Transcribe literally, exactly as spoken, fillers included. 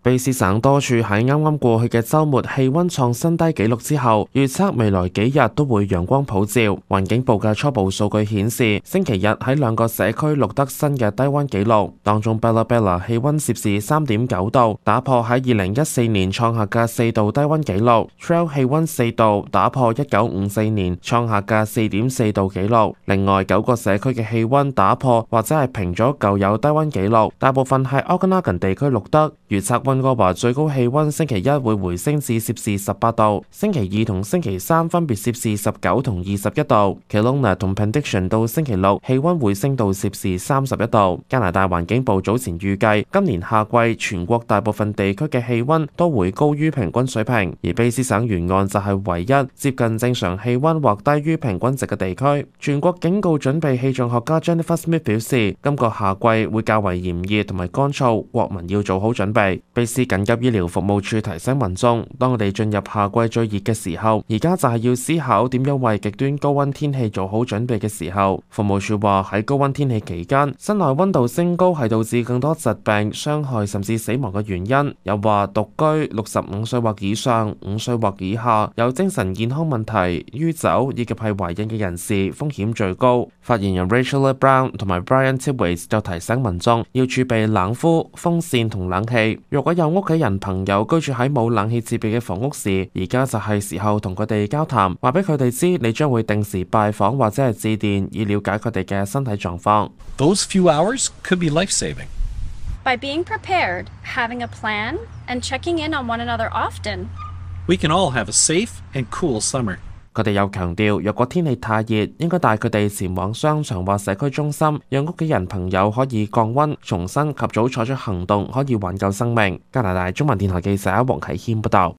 卑斯省多處喺啱啱過去嘅週末氣溫創新低紀錄之後，預測未來幾日都會陽光普照。環境部嘅初步數據顯示，星期日喺兩個社區錄得新嘅低溫紀錄，當中 Bella Bella 氣溫攝氏三點九度，打破喺二零一四年創下嘅四度低溫紀錄 ；Trail 氣溫四度，打破一九五四年創下嘅四點四度紀錄。另外九個社區嘅氣溫打破或者係平咗舊有低溫紀錄，大部分係 Okanagan 地區錄得。預測溫哥華最高氣溫星期一會回升至攝氏十八度，星期二同星期三分別攝氏十九同二十一度。Kelowna 同 Penticton 到星期六氣溫會升到攝氏三十一度。加拿大環境部早前預計今年夏季全國大部分地區嘅氣溫都會高於平均水平，而卑斯省沿岸就係唯一接近正常氣溫或低於平均值嘅地區。全國警告準備氣象學家 Jennifer Smith 表示，今個夏季會較為炎熱同埋乾燥，國民要做好準備。卑斯緊急醫療服務處提醒民眾，當我哋進入夏季最熱嘅時候，而家就係要思考點樣為極端高溫天氣做好準備嘅時候。服務處話喺高溫天氣期間，室內溫度升高係導致更多疾病、傷害甚至死亡嘅原因。又話獨居、六十五歲或以上、五歲或以下、有精神健康問題、酗酒以及係懷孕嘅人士風險最高。發言人 Rachel Brown 同埋 Brian Titwaite 就提醒民眾要儲備冷敷、風扇同冷氣。如果有屋企人朋友居住喺冇冷氣設備嘅房屋時，而家就係時候同佢哋交談，話俾佢哋知你將會定時拜訪或者係致電，以了解佢哋嘅身體狀況。Those few hours could be life-saving. By being prepared, having a plan, and checking in on one another often, we can all have a safe and cool summer. 佢哋又強調，若果天氣太熱，應該帶佢哋前往商場或社區中心，讓屋企人朋友可以降溫，重新及早採取行動，可以挽救生命。加拿大中文電台記者黃啟謙報道。